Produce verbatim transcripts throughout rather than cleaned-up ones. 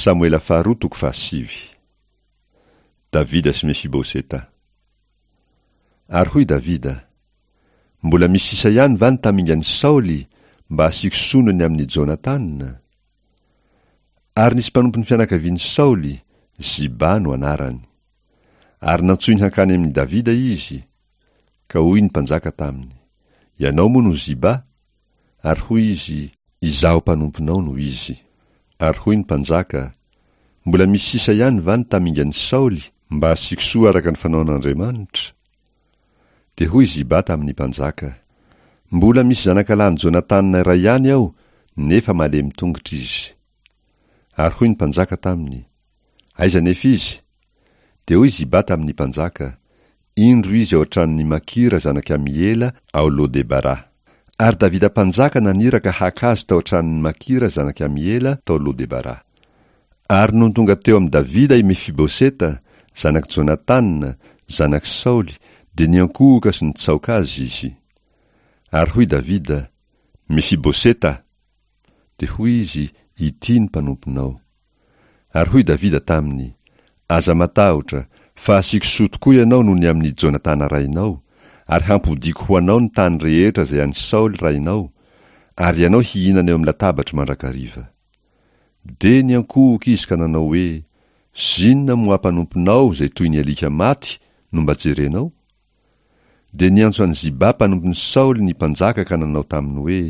Samoela faharoa toko fahasivy. Davida sy Mefiboseta. Ary hoy Davida, Mbola misy sisa ihany va ny tamingan'i Saoly mba hasiako sono ny amin'i Jonatana? Ary nisy mpanompon'ny fianakavian'i Saoly, Ziba no anarany. Ary nantsoiny hankany amin'i Davida izy, ka hoy ny mpanjaka taminy, Ianao moa no Ziba? Ary hoy izy, Izaho mpanomponao no izy. Ary hoy ny mpanjaka, Mbola misy sisa ihany va ny tamingan'i Saoly mba hasiako soa araka ny fanaon'Andriamanitra? Dia hoy Ziba tamin'ny mpanjaka, Mbola misy zanakalahin'i Jonatana iray ihany aho, nefa malemy tongotra izy. Ary hoy ny mpanjaka taminy, Aiza anefa izy? Dia hoy Ziba tamin'ny mpanjaka, Indro izy ao an-tranon'i Makira zanak'i Amiela ao Lodebara. Ary Davida mpanjaka naniraka haka azy tao an-tranon'i Makira zanak'i Amiela tao Lodebara. Ary nony tonga teo amin'i Davida i Mefiboseta, zanak'i Jonatana, zanak'i Saoly, dia niankohoka sy nitsaoka azy izy. Ary hoy Davida, Mefiboseta! Dia hoy izy, Ity ny mpanomponao. Ary hoy Davida taminy, Aza matahotra, fa hasiako soa tokoa ianao noho ny amin'i Jonatana rainao, ary hampodiako ho anao ny tany rehetra izay an'i Saoly rainao, ary ianao hihinana eo amin'ny latabatro mandrakariva. Dia niankohoka izy ka nanao hoe, Zinona moa mpanomponao izay toy ny alika maty no mba jerenao? Dia niantso an'i Ziba mpanompon'i Saoly ny mpanjaka ka nanao taminy hoe,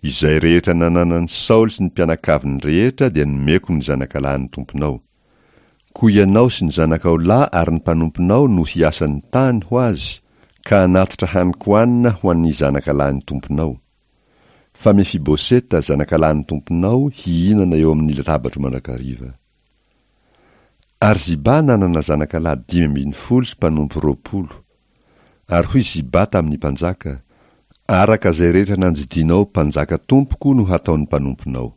Izay rehetra nananan'i Saoly sy ny mpianakaviny rehetra dia nomeko ny zanakalahin'ny tomponao. Koa ianao sy ny zanakao lahy ary ny mpanomponao no hiasa ny tany ho azy, ka hanatitra hanin-kohanina ho an'ny zanakalahin'ny tomponao. Fa Mefiboseta zanakalahin'ny tomponao hihinana eo amin'ny latabatro mandrakariva. Ary Ziba nanana zanakalahy dimy ambin'ny folo sy mpanompo roapolo. Ary hoy Ziba tamin'ny mpanjaka, Araka izay rehetra nandidianao mpanjaka tompoko no hataon'ny mpanomponao.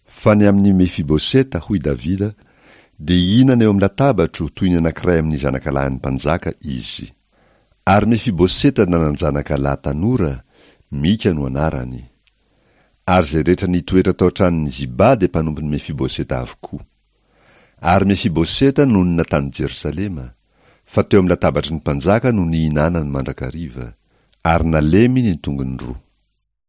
Fa ny amin'i Mefiboseta, hoy Davida, dia hihinana eo amin'ny latabatro toy ny anankiray amin'ny zanakalahin'ny mpanjaka izy. Ary Mefiboseta nanan-janakalahy tanora, Mika no anarany. Ary izay rehetra nitoetra tao an-tranon'i Ziba dia mpanompon'i Mefiboseta avokoa. Ary Mefiboseta nonina tany Jerosalema, fa teo amin'ny latabatry ny mpanjaka no nihinanany mandrakariva, ary nalemy ny tongony roa.